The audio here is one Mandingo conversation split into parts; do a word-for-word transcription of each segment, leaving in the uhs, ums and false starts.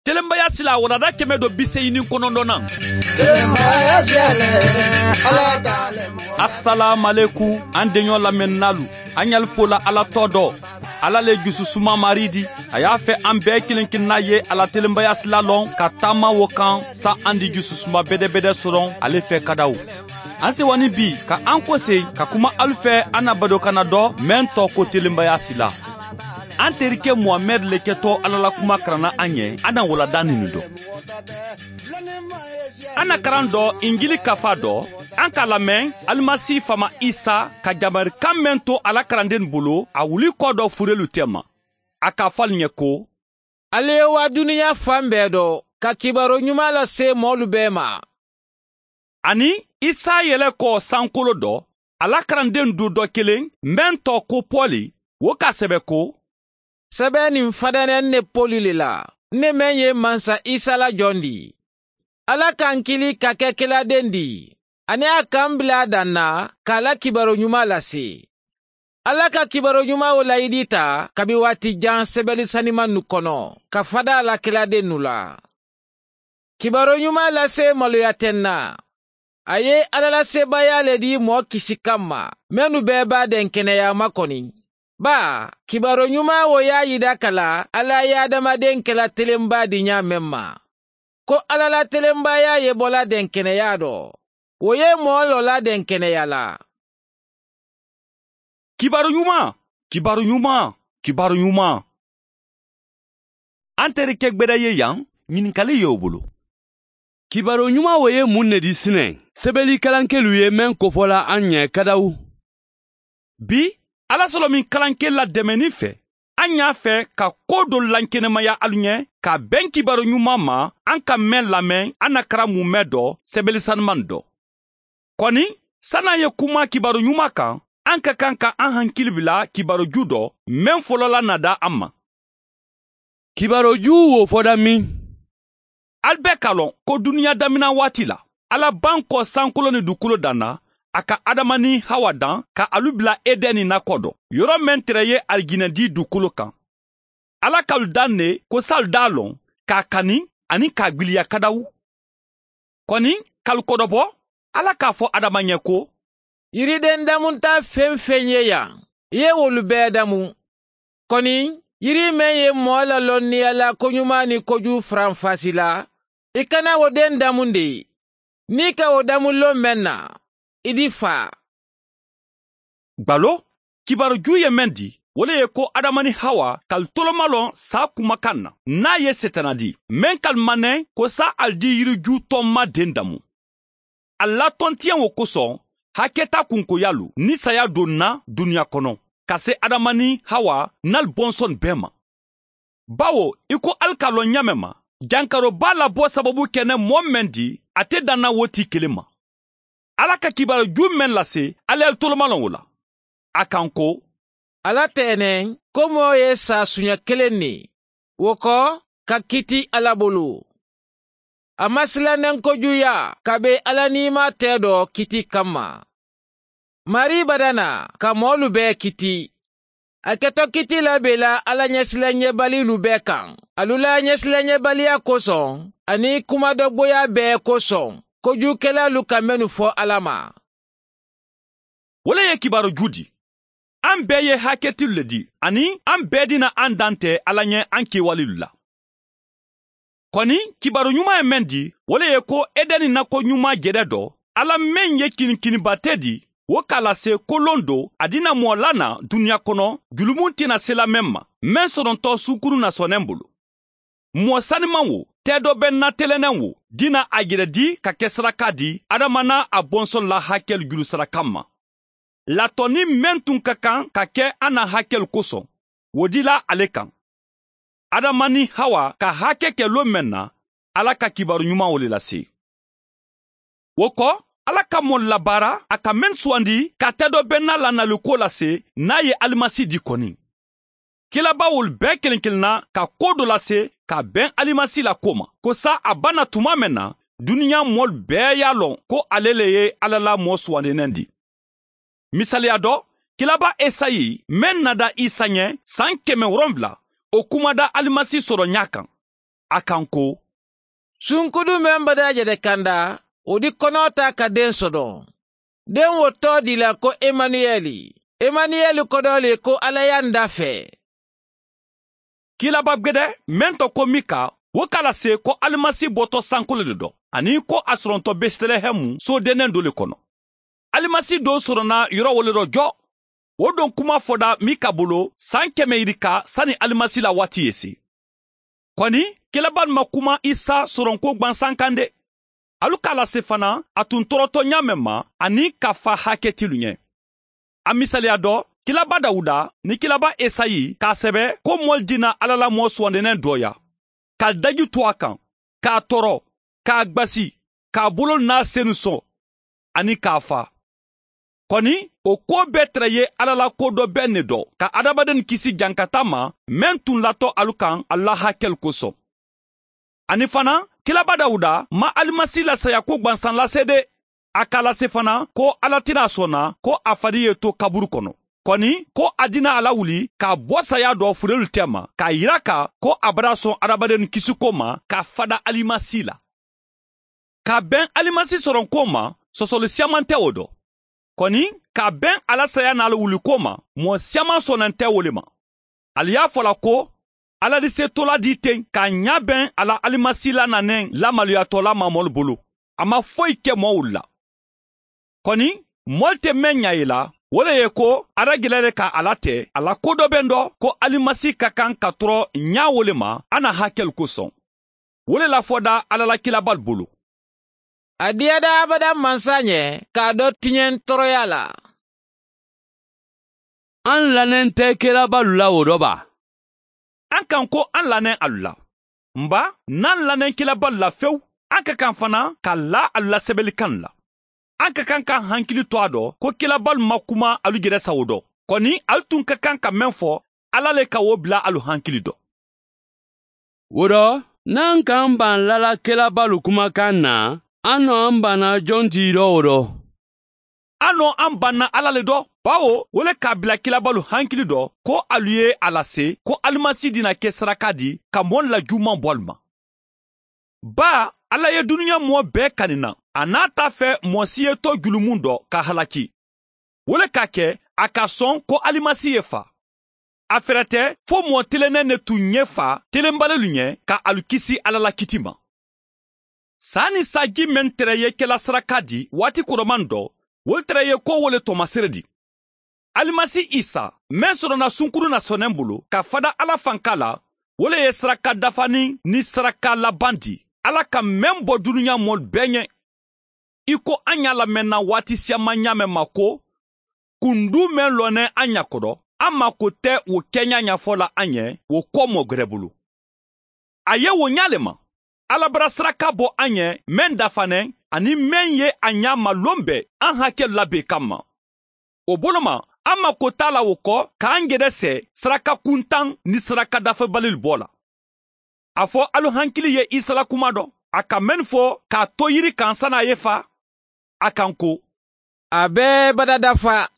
Telenbaya sila walanda kɛmɛ do bi seegin ni kɔnɔntɔnnan. Asalaamualeykum, an deɲɔ lamɛnnaalu, an ɲali fola Ala tɔgɔ dɔ. Ala le jususuma Mari di. A y'a fɛ an bɛɛ kelen-kelenna ye a la telenbaya sila lɔn ka taama wo kan, sa an di jususuma bɛdɛbɛdɛ sɔrɔ ale fɛ kadaw. An sewani bi ka an kosegin ka kuma alu fɛ, an na badokanna dɔ mɛn tɔgɔ ko telenbaya sila. An terikɛ Muhamɛdi le kɛtɔ Ala la kuma karanna an ye, an na walanda nini dɔn. An na karan dɔ, Injili kafa dɔ, an k'a lamɛn Alimasi faama Isa ka yamarikan mɛn to a la kalandenw bolo, a wuli kɔ dɔ furelu tɛma. A k'a fɔ alu ɲɛ ko: Alu ye waa duniɲa fan bɛɛ dɔ, ka kibaru ɲuman lase mɔɔlu bɛɛ ma. Ani Isa yɛlɛ kɔ sankolo dɔ, a la kalandenw du dɔ kelen, mɛn tɔgɔ ko Pɔli, wo k'a sɛbɛ ko: Sɛbɛ nin fadɛnɛ ne Pɔli le la, ne mɛn ye Mansa Isa la jɔn di. Ala ka n kili ka kɛ keladen di, ani a ka n bila a dan na k'a la kibaru ɲuman lase. Ala ka kibaru ɲuman wo layidi ta kabi waati jan sɛbɛli sanimannu kɔnɔ, ka fada a la keladennu la. Kibaru ɲuman lase maloya tɛ n na. A ye Ala la sebaaya le di mɔɔ kisi kamma, mennu bɛɛ b'a dɛnkɛnɛya ma kɔni. Baa, kibaru ɲuman wo y'a yida ka la Ala ye adamaden kɛla telenba di ɲaa men ma. Ko Ala la telenbaya ye bɔla dɛnkɛnɛya dɔ, wo ye mɔɔ lɔla dɛnkɛnɛya la. Kibaru ɲuman, kibaru ɲuman, kibaru ɲuman. An terikɛ gbɛdɛ ye yan, ɲininkali ye o bolo. Kibaru ɲuman wo ye mun ne di sinan? Sɛbɛli kalankelu ye men kofɔla an ɲɛ kadawu. Bi, Ala sɔlɔmin kalanke ladɛmɛnin fɛ, an y'a fɛ ka ko do lankenemaya alu ɲɛ, ka bɛn kibaru ɲuman ma, an ka men lamɛn, an na karan mun mɛn dɔ, sɛbɛli saniman dɔ. Kɔni, sani an ye kuma kibaru ɲuman kan, an ka kan ka an hakili bila kibaru ju dɔ, men fɔlɔla na da an ma. Kibaru ju wo fɔda min? Alu bɛɛ k'a lɔn ko duniɲa daminɛ waati la, Ala ban kɔ sankolo ni dukolo dan na, a ka Adama ni Hawa dan ka alu bila Edɛni nakɔ dɔ, yɔrɔ men tere ye alijinɛ di dukolo kan. Ala k'alu dan ne ko saalu d'a lɔn, k'a kani, ani k'a gbiliya kadawu. Kɔni, k'alu kɔdɔbɔ, Ala k'a fɔ Adama ɲɛ ko: Yiriden damunta feŋ-feŋ ye yan, i ye wolu bɛɛ damu. Kɔni, yiri men ye mɔɔ lalɔnniya la koɲuman ni kojugu faranfasi la, i kana wo den damu de. Ni i ka wo damu lon men na, i di faa. Gbalo, kibaru ju ye men di, wo le ye ko Adama ni Hawa k'alu tolomalɔn saa kumakan na, n'a ye Setana di, men k'alu manɛn ko saa alu di yiriju tɔnma den damu. A latontiɲɛ wo kosɔn, hakɛta kunkoyalu ni saya donna duniɲa kɔnɔ, ka se Adama ni Hawa n'alu bɔnsɔn bɛɛ ma. Bawo, i ko alu k'a lɔn ɲaamen ma, jankaroba labɔ sababu kɛnɛ mɔɔ men di, a te danna wo ti kelen ma. Ala ka kibaru ju men lase, alu ye alu tolomalɔn wo la. A kan ko: Ala tɛnɛn ko mɔɔ ye saasuɲɛ kelen ne, wo kɔ, ka kiti Ala bolo. A ma silannen kojuguya, kabi Ala ni i ma tɛ dɔ kiti kamma. Mari badana ka mɔɔlu bɛɛ kiti. A kɛtɔ kiti la bɛ la Ala ɲɛsilanɲɛbalilu bɛɛ kan, alu la ɲɛsilanɲɛbaliya kosɔn, ani kumadɔgboya bɛɛ kosɔn, kojugukɛlalu ka mennu fɔ Ala ma. Wo le ye kibaru ju di. An bɛɛ ye hakɛtilu le di, ani an bɛɛ dina an dan tɛ Ala ɲɛ an kewalelu la. Kɔni, kibaru ɲuman ye men di, wo le ye ko Edɛni nako ɲuman jɛdɛ dɔ, Ala men ye kinikininba te di, wo k'a lase kolon do, a dina mɔɔ la na duniɲa kɔnɔ, julumu tena sela men ma, men sɔrɔntɔ sunkuru na sɔnnen bolo. Mɔɔ saniman wo, tɛ dɔ bɛ na telennen wo, dina a yɛrɛ di ka kɛ saraka di Adama n'a a bɔnsɔn la hakɛlu juru saraka ma. Latɔnni men tun ka kan ka kɛ an na hakɛlu kosɔn, wo dila ale kan. Adama ni Hawa ka hakɛ kɛ lon men na, Ala ka kibaru ɲuman wo le lase. Wo kɔ, Ala ka mɔɔ labaara a ka men sugandi ka tɛ dɔ bɛ na lanaliko lase, n'a ye Alimasi di kɔni. Kilabaa wolu bɛɛ kelen-kelenna ka ko do lase ka bɛn Alimasi la ko ma, ko saa a bana tuma men na, duniɲa mɔɔlu bɛɛ y'a lɔn ko ale le ye Ala la mɔɔ sugandinnen di. Misaliya dɔ, kilabaa Esayi men nada Isa ɲɛ san kɛmɛ wolonwula, o kumada Alimasi sɔrɔɲa kan. a kaŋ ko, sunkudu meŋ badaa je de kanda, wo di konoo taa ka deŋ sodoŋ. Deŋ wo too dii la ko emanuyeli. Emanuyeli kodoo le ko alla ye a nda fee. Kiilaba gbede meŋ to ko mika, wo ka a lase ko alimasi boto sanko le de do, aniŋ ko a soronto betelehemu soodeneŋ do le kono. Alimasi doo sorona yoro wo le do jo. Wo doŋ kuma foda mika bulu saŋ keme yirika sani alimasi la waati ye si. Koni, kiilabaalu ma kuma isa soronko gbansaŋ kaŋ de. Alu ka a lase fanaa a tun toroto ñaameŋ ma, aniŋ ka fa haketilu ñe. A misaliya do, kiilaba dawuda niŋ kiilaba esayi ka a sebe ko moolu dina alla la moo suwandineŋ doo ya, ka ali daji tu a kaŋ, ka a toro, ka a gbasi, ka a bololu niŋ a senu soŋ, aniŋ ka a faa. Koni, wo kuwo bee tara ye alla la kodoo beŋ ne do ka hadamadennu kisi jankata ma, meŋ tun lato alu kaŋ alu la hakelu kosoŋ. Aniŋ fanaa, kiilaba dawuda maŋ alimasi la sayaku gbansaŋ lase de. A ka a lase fanaa ko alla ti naa sonna ko a fadi ye to kaburu kono, koni ko a dina a la wuli ka a bo sayaa do furelu tema ka a yiraka ko a bada soŋ hadamadennu kisiko ma ka fada alimasi la. Ka a beŋ alimasi soronko ma, sosoli siyamantewo do. Koni, ka a beŋ a la sayaa naa la wuliko ma, moo siyaman sonante wo le ma. Ali ye a fo la ko, alla di se tola dii teŋ ka a ñaabeŋ a la alimasi la naneŋ lamaluyatoola maamoolu bulu. A maŋ foyi ke moo wulu la. Koni, moolu te meŋ ñaa ye la, wo le ye ko, a da gele le ka a la te a la kodoo beŋ do ko alimasi ka kaŋ ka toro ñaa wo le ma a na hakelu kosoŋ. Wo le lafoda alla la kiilabaalu bulu. A diyada abada mansa ñe ka a do tiñeŋ toroyaa la. Aŋ laneŋ te kiilabaalu la wo do baa? Aŋ kaŋ ko aŋ laneŋ alu la. M baa, niŋ aŋ laneŋ kiilabaalu la fewu, aŋ ka kaŋ fanaa ka laa alu la sebelikaŋ la. Aŋ ka kaŋ ka aŋ hankili to a do ko kiilabaalu ma kuma alu je de sawo do. Koni, alu tun ka kaŋ ka meŋ fo, alla le ka wo bila alu hankili do. Wo do, niŋ aŋ ka aŋ baŋ lala kiilabaalu kumakaŋ na, aŋ no aŋ banna joŋ ti do wo do. Aŋ no aŋ banna alla le do, bawo wo le ka a bila kiilabaalu hankili do ko alu ye a lase ko alimasi dina ke saraka di ka moolu la juumaŋ bo alu ma. Baa, alla ye duniya moo bee kani naŋ, a naata a fee moo si ye to julumu do ka halaki. Wo le ka a ke a ka soŋ ko alimasi ye faa. A ferete fo moo teleneŋ ne tun ye faa telenbalilu ñe ka alu kisi alla la kiti ma. Saa niŋ saaji meŋ tara ye ke la saraka di waati koromaŋ do, wolu tara ye ko wo le tomasere di. Alimasi isa, meŋ sorona sunkuru na soneŋ bulu ka fada alla fanka la, wo le ye saraka dafaniŋ niŋ saraka labaŋ di alla ka meŋ bo duniya moolu bee ñe. I ko aŋ ye a lamenna waati siyamaa ñaameŋ ma ko, kunduu meŋ loneŋ aŋ ña kodo, aŋ maako te wo keeñaa ñafoo la aŋ ye wo koomoo gere bulu. A ye wo ñaa le ma, alla bara saraka bo aŋ ye meŋ dafaneŋ aniŋ meŋ ye a ñaa maloŋ be aŋ hakelu la bee kamma. Wo bolo ma, aŋ maako te a la wo ko ka aŋ gede see saraka kuntaŋ niŋ saraka dafebalilu boo la. A fo alu hankili ye isa la kuma do, a ka mennu fo ka a to yiri kaŋ sani a ye faa, a kaŋ ko, a be bada dafa.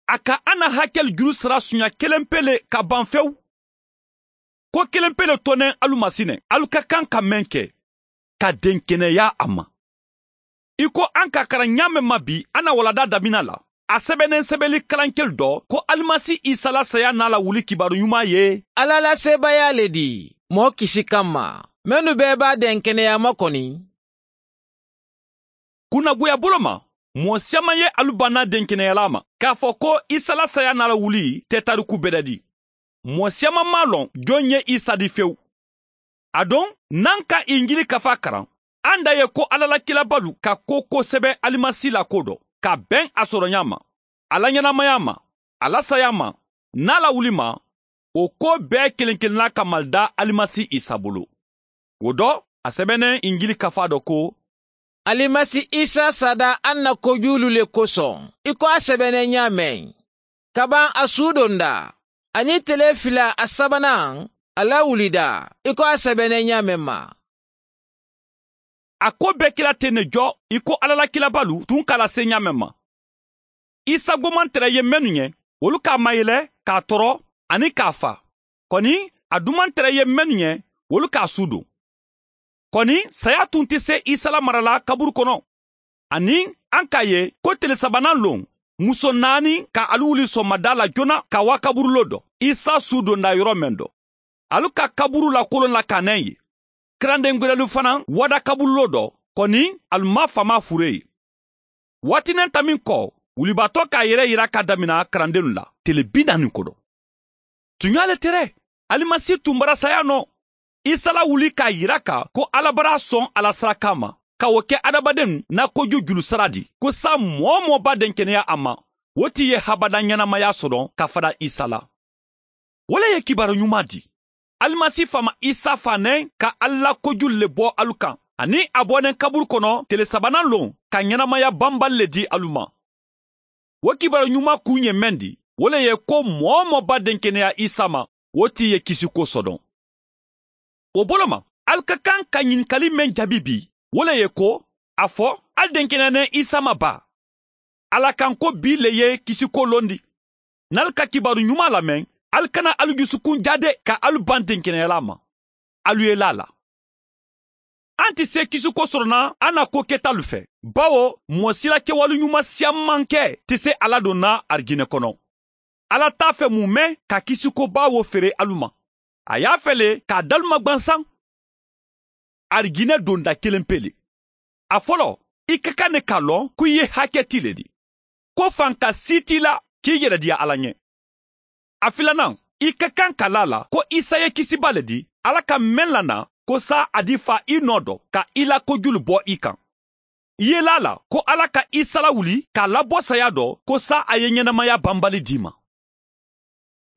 A ka a na hakelu juru sara suuña kelenpe le ka baŋ fewu. Ko kelenpe le to neŋ alu ma si ne alu ka kaŋ ka meŋ ke, ka denkeneeyaa a ma. I ko aŋ ka a kara ñaameŋ ma bi a na waladaa damina la, a sebeneŋ sebeli kalankelu do ko alimasi isa la saya naa la wuli kibaaru ñumaa ye alla la seebayaa le di, moo kisi kamma, mennu bee be a denkeneeyaa ma koni. Kunnaguya bolo ma, moo siyamaa ye alu banna denkeneyalaa ma k'a fo ko isa la saya naa la wuli te tariku bedadi. Moo siyamaa maŋ a loŋ joŋ ye isa di fewu. Aduŋ, niŋ aŋ ka injili kafaa karaŋ, aŋ da ye ko alla la kilabalu ka ko ko sebe alimasi la ko do ka beŋ a soroñaa ma, a la ñanamayaa ma, a la sayaa ma, niŋ a la wuli ma, wo ko bee keleŋ keleŋ na ka mali da alimasi isa bulu. Wo do, a sebeneŋ injili kafaa do ko, alimasi isa saada aŋ na kojuulu le kosoŋ, i ko a sebeneŋ ñaameŋ, kabaŋ a suudondaa, aniŋ telee fila a sabanaŋ, a la wulidaa, i ko a sebeneŋ ñaameŋ ma. A ko be ke la teŋ ne jo, i ko alla la kilabalu tun ka a lase ñaameŋ ma. Isa gomantera ye mennu ñe, wolu ka a mayele ka a toro, aniŋ ka a faa. Koni, a dumantere ye mennu ñe, wolu ka a suudun. Koni saya tun ti se isa la mara la kaburu kono. Aniŋ an ka a ye ko tele sabanan loŋ, muso naani ka ali wuli sonmadaa la joona ka waa kaburuloo do isa suudonda yoro meŋ do. Ali ka kaburu la koloŋ la ka neŋ ye. Karandeŋ gwedelu fanaŋ wada kabululoo do, koni ali maŋ famaa furee ye. Waati neŋ ta meŋ ko, wulibaatoo ka a yere yira ka damina karandennu la tele bi naani kodo. Tuɲaa le tere, alimasi tun bara saya noo. Isa la wuli ka a yira ka ko alla bara a soŋ a la sarakaa ma, ka wo ke adamadennu na koju julu sara di ko saa moo-wo-moo be a denkeneya a ma, wo ti ye habada ɲenamaya soto ka fada isa la. Wo le ye kibaaru ɲumaa di. Alimasi faama isa faa neŋ ka alla la kojulu le bo alu kaŋ, aniŋ a bo neŋ kaburu kono tele sabanan loŋ ka ɲenamaya banbali le di alu ma. Wo kibaaru ɲumaa kuŋ ye meŋ di, wo le ye ko moo-wo-moo be a denkeneya isa ma, wo ti ye kisiko soto. Wo bolo ma, ali ka kaŋ ka ɲininkali meŋ jaabi bi, wo le ye ko, a fo ali denkeneya neŋ isa ma baa? Alla kaŋ ko bii le ye kisiko londi. Niŋ ali ka kibaaru ɲumaa lameŋ, ali kana ali jusukun jaade ka ali baŋ denkeneyalaa ma. Ali ye laa a la. An ti see kisiko soto na an na ko ketaalu fee, bawo moo sila kewaalu ɲumaa siyaŋ maŋ ke ti see alla doŋ na arijine kono. Alla taa fee mu meŋ ka kisiko baa wo feere alu ma, a ye a fee le ka a dalu magbansaŋ. Arijine donda keleŋ pee le. A foloo, i ka kaŋ ne ka a loŋ ko i ye hakketii le di, ko fanka sii ti i la ka i yelediya alla ɲe. A filanaŋ, i ka kaŋ ka laa a la ko isa ye kisibaa le di alla ka meŋ la na, ko saa a di faa i noo do ka i la kojulu bo i kaŋ. I ye laa a la ko alla ka isa lawuli ka a labo saya do ko saa a ye ɲenamaya banbali di i ma.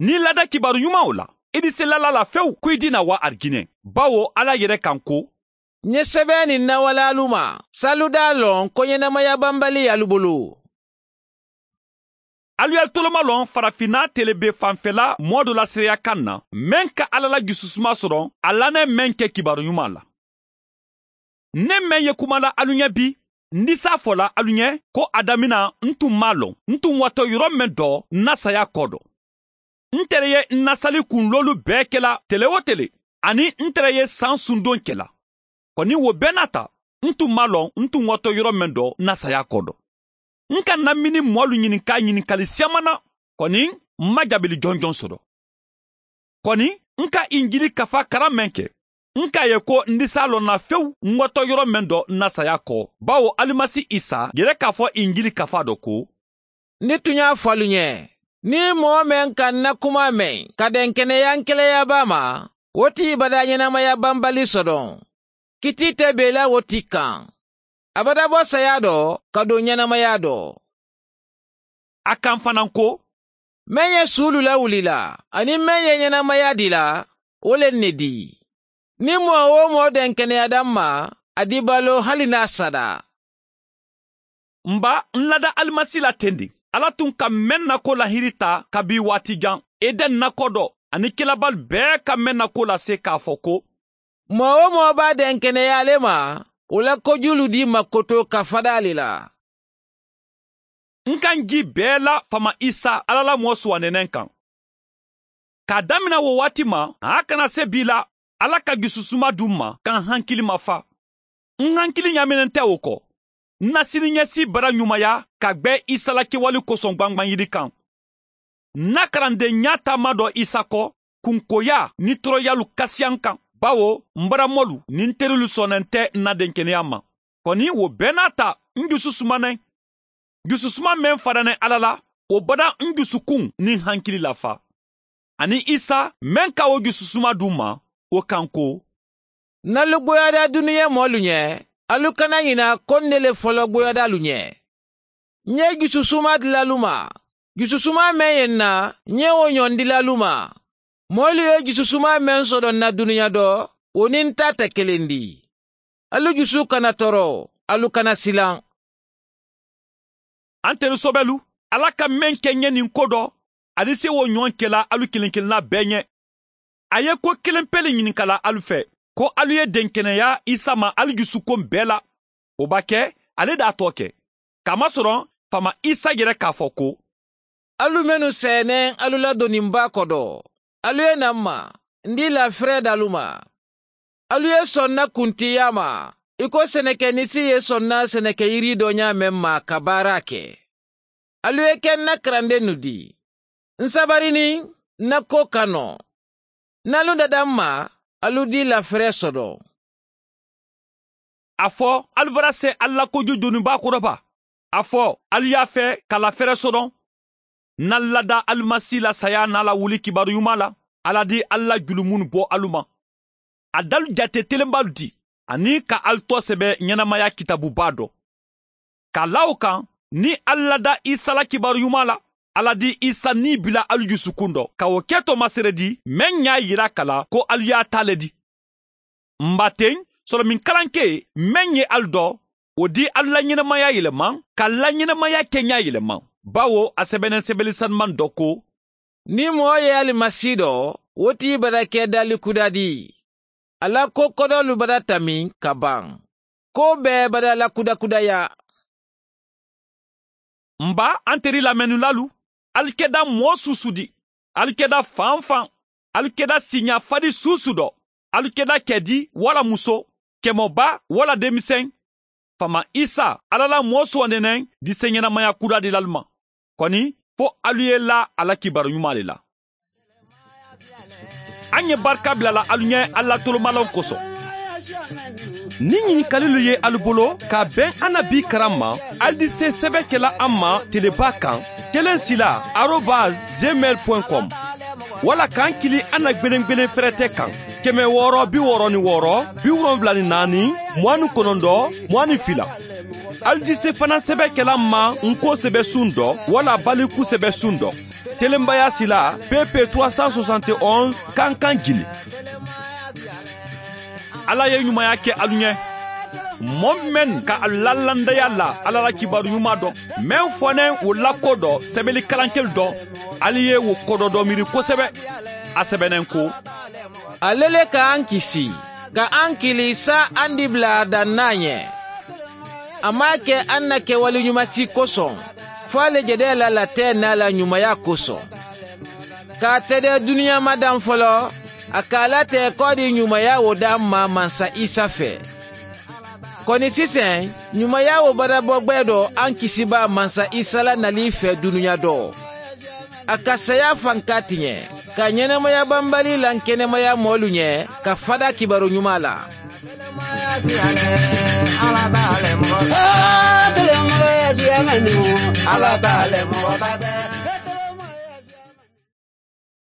Niŋ i laada kibaaru ɲumaŋo la, i dise lala la fewu ko i dina waa arijine, bawo alla yere kaŋ ko, ǹ ye sebeya niŋ nawalaalu ma, saalu daa loŋ ko ɲenamaya banbali ye alu bulu. Alu ye alu tolomalon farafinna tele be fanfela moo do la seereya kaŋ na, meŋ ka alla la jususuma soto a lannee meŋ ke kibaaru ɲumaa la. Ǹ ne meŋ ye kuma la alu ɲe bi, ǹ disa a fo la alu ɲe ko a damina ǹ tun maŋ a loŋ ǹ tun wato yoro meŋ do ǹ na saya koo do. Ǹ tere ye ǹ na sali kunloolu bee ke la tele-wo-tele, aniŋ ǹ tere ye saŋ sundoŋ ke la. Koni wo bee naata, ǹ tun maŋ a loŋ ǹ tun wato yoro meŋ do ǹ na saya koo do. Ǹ ka ǹ na mini moolu ɲininkaa ɲininkali siyamana, koni ǹ maŋ jaabili jonjoŋ soto. Koni ǹ ka injili kafaa karaŋ meŋ ke, ǹ ka a ye ko ǹ disa a loŋ na fewu ǹ wato yoro meŋ do ǹ na saya koo, bawo alimasi isa yere ka a fo injili kafaa do ko, ǹ ye tuɲaa fo alu ɲe, niŋ moo meŋ ka ǹ na kumaa meŋ ka denkeneya ǹ keleyaabaa ma, wo ti badaa ɲenamaya banbali soto. Kitii te bee la wo ti kaŋ. A bada bo saya do ka duŋ ɲenamaya do. A kaŋ fanaŋ ko, meŋ ye suulu lawuli la aniŋ meŋ ye ɲenamaya di la, wo le ǹ ne di. Niŋ moo-wo-moo denkeneyata ǹ ma, a di baloo hali niŋ a sada. M ba, n lada alimasi la tendiŋ. Alla tun ka meŋ na ko lahiiri taa kabiŋ waati jaŋ, eden na ko do aniŋ kelabaalu bee ka meŋ na ko lase k'a fo ko, moo-wo-moo be a denkeneyaa le ma, wo la kojuulu di makoto ka fada a le la. N ka n jii bee la faama isa, alla la moo suwandineŋ kaŋ. K'a damina wo waati ma a kana se bii la, alla ka jususuma duŋ ma ka n hankili mafa. N hankili ɲaaminen te wo ko, n na siniɲeesii bara ɲumaya ka gbe isa la kewali kosoŋ gbangbaŋ yiri kaŋ. N na karandeŋ ɲaa taama do isa ko, kunkoyaa niŋ toroyaalu kasiya n kaŋ, bawo m bara moolu niŋ n terilu soneŋ te n na denkeneyaa ma. Koni wo bee naata, n jusu suma neŋ. Jususuma meŋ fada neŋ alla la, wo bada n jusukuŋ niŋ hankili lafa. Aniŋ isa meŋ ka wo jususuma duŋ ma, wo kaŋ ko, n na lu gboyaada duniya moolu ɲe, alu kana ɲina ko n ne le folo gboyaadaalu ɲe. N ye jususuma dila alu ma. Jususuma meŋ ye n na, n ye wo ɲoŋ dila alu ma. Moolu ye jususuma meŋ soto n na duniya do, wo niŋ n ta te keleŋ di. Alu jusu kana toro, alu kana silaŋ. Antelu sobelu, alla ka meŋ ke n ye niŋ ko do, ali si wo ɲoŋ ke la alu kiliŋ kiliŋ na bee ɲe. A ye ko keleŋ pele ɲininka la alu fee, ko alu ye denkeneya isa ma ali jusukoŋ bee la. Wo ba ke, ali daa too ke. Kaamasoroŋ faama isa yere ka a fo ko, alu mennu seeneŋ alu la doniŋ baa kodo, alu ye naa m ma, n dii laafireedaalu ma. Alu ye sonna kuntiya ma i ko seneke nisi ye sonna seneke yiri doɲa men ma ka baara ke. Alu ye ke n na karandennu di. N sabarinin n na ko kano. N alu dada n ma alu di lafere sodo. A fo alu bara se alu la koju joniba kodo ba? A fo alu y'a fe ka lafere sodo? N na lada alimasi la saya n'a la wuli kibaaru ɲuman la, ala di alu la julumunnu bo alu ma. A dalu jate telenbalu di, aniŋ ka alu to sebe ɲenamaya kitaabuba do. Ka la wo kaŋ, niŋ alu lada isa la kibaaru ɲuman la, ala di isa nii bila alu jusukun do ka wo ke to maseredi meŋ ɲa yira ka la ko alu ye a taa le di. Mba teŋ, solominkalankee meŋ ye alu do, wo di alu la ɲenamaya yelema ka la ɲenamaya keɲa yelema. Bawo a sebeneŋ sebeli sanumaŋ do ko, niŋ moo ye alimasi do, wo ti bada ke dali kuda di. A la ko kodoolu bada tamiŋ ka baŋ. Ko bee bada la kudakudaya. Mba, an teri lamennulaalu, alu keda moo suusu di. Alu keda fanfaŋ. Alu keda siiɲafadi suusu do. Alu keda kedi walla muso, kemoba walla demisene. Faama isa, alla la moo suwandi neŋ diseɲenamaya kuraadilaalu ma. Koni, fo alu ye laa a la kibaaru ɲumaa le la. An ye barika bila la alu ɲe alla tolomalanw koso. Ni ɲinikalilu ye alu bolo ka ben an na bi karan ma, alu di se sebe kela an ma teleba kan, kelen sila arobas gmail point com, walla k'an kili an na gbelengbelen ferete kan, keme wɔɔrɔ bi wɔɔrɔ ni wɔɔrɔ, bi wolonwula ni naani, muwani kɔnɔntɔn, muwani fila. Alu di se fana sebe kela an ma n ko sebe sun dɔ walla baliku sebe sun dɔ. Telenbaya sila, pp trois cent soixante et onze, kankan jini. Alla ye ɲumaya ke alu ɲe. Moo mennu ka alu la landaya la alla la kibaaru ɲumaa do, meŋ fo neŋ wo la ko do, sebeli kalankelu do, alu ye wo ko do do miiri kosebe. A sebe neŋ ko, ale le ka an kisi, ka an kili saa an dibila daŋ na a ɲe. A maŋ a ke an na kewali ɲumasi kosoŋ, fo a le jede la latee naa la ɲumaya kosoŋ. Ka a tede duniya ma daŋ folo, a ka a latee ko di ɲumaya wo daŋ ma mansa isa fee. Koni siseŋ, ɲumaya wo badabogbe do an kisibaa mansa isa la nali fee duniya do. A ka saya fanka tiɲe, ka ɲenamaya banbali lankenemaya moolu ɲe, ka fada kibaaru ɲumaa la.